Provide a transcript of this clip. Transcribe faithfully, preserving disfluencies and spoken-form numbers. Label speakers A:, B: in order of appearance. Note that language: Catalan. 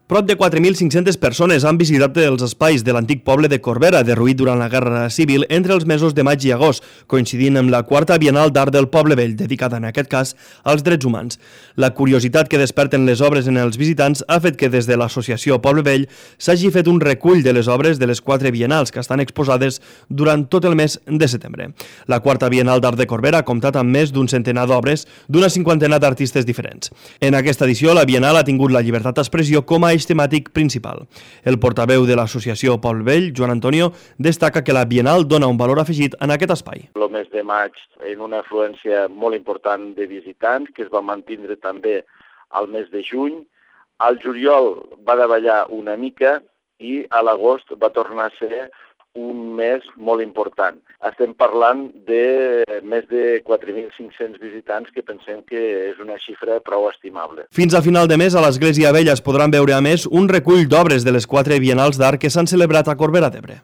A: Prop de quatre mil cinc-centes persones han visitat els espais de l'antic poble de Corbera, derruït durant la Guerra Civil entre els mesos de maig i agost, coincidint amb la quarta Bienal d'Art del Poble Vell, dedicada en aquest cas als drets humans. La curiositat que desperten les obres en els visitants ha fet que des de l'associació Poble Vell s'hagi fet un recull de les obres de les quatre bienals que estan exposades durant tot el mes de setembre. La quarta Bienal d'Art de Corbera ha comptat amb més d'un centenar d'obres d'una cinquantena d'artistes diferents. En aquesta edició, la Bienal ha tingut la llibertat d'expressió com a eix temàtic principal. El portaveu de l'associació Poble Vell, Joan Antonio, destaca que la Bienal dona un valor afegit en aquest espai.
B: El mes de maig, en una afluència molt important de visitants, que es va mantindre també al mes de juny. Al juliol va davallar una mica i a l'agost va tornar a ser un mes molt important. Estem parlant de més de quatre mil cinc-cents visitants, que pensem que és una xifra prou estimable.
A: Fins a final de mes, a l'Església Vella es podran veure a més un recull d'obres de les quatre bienals d'art que s'han celebrat a Corbera d'Ebre.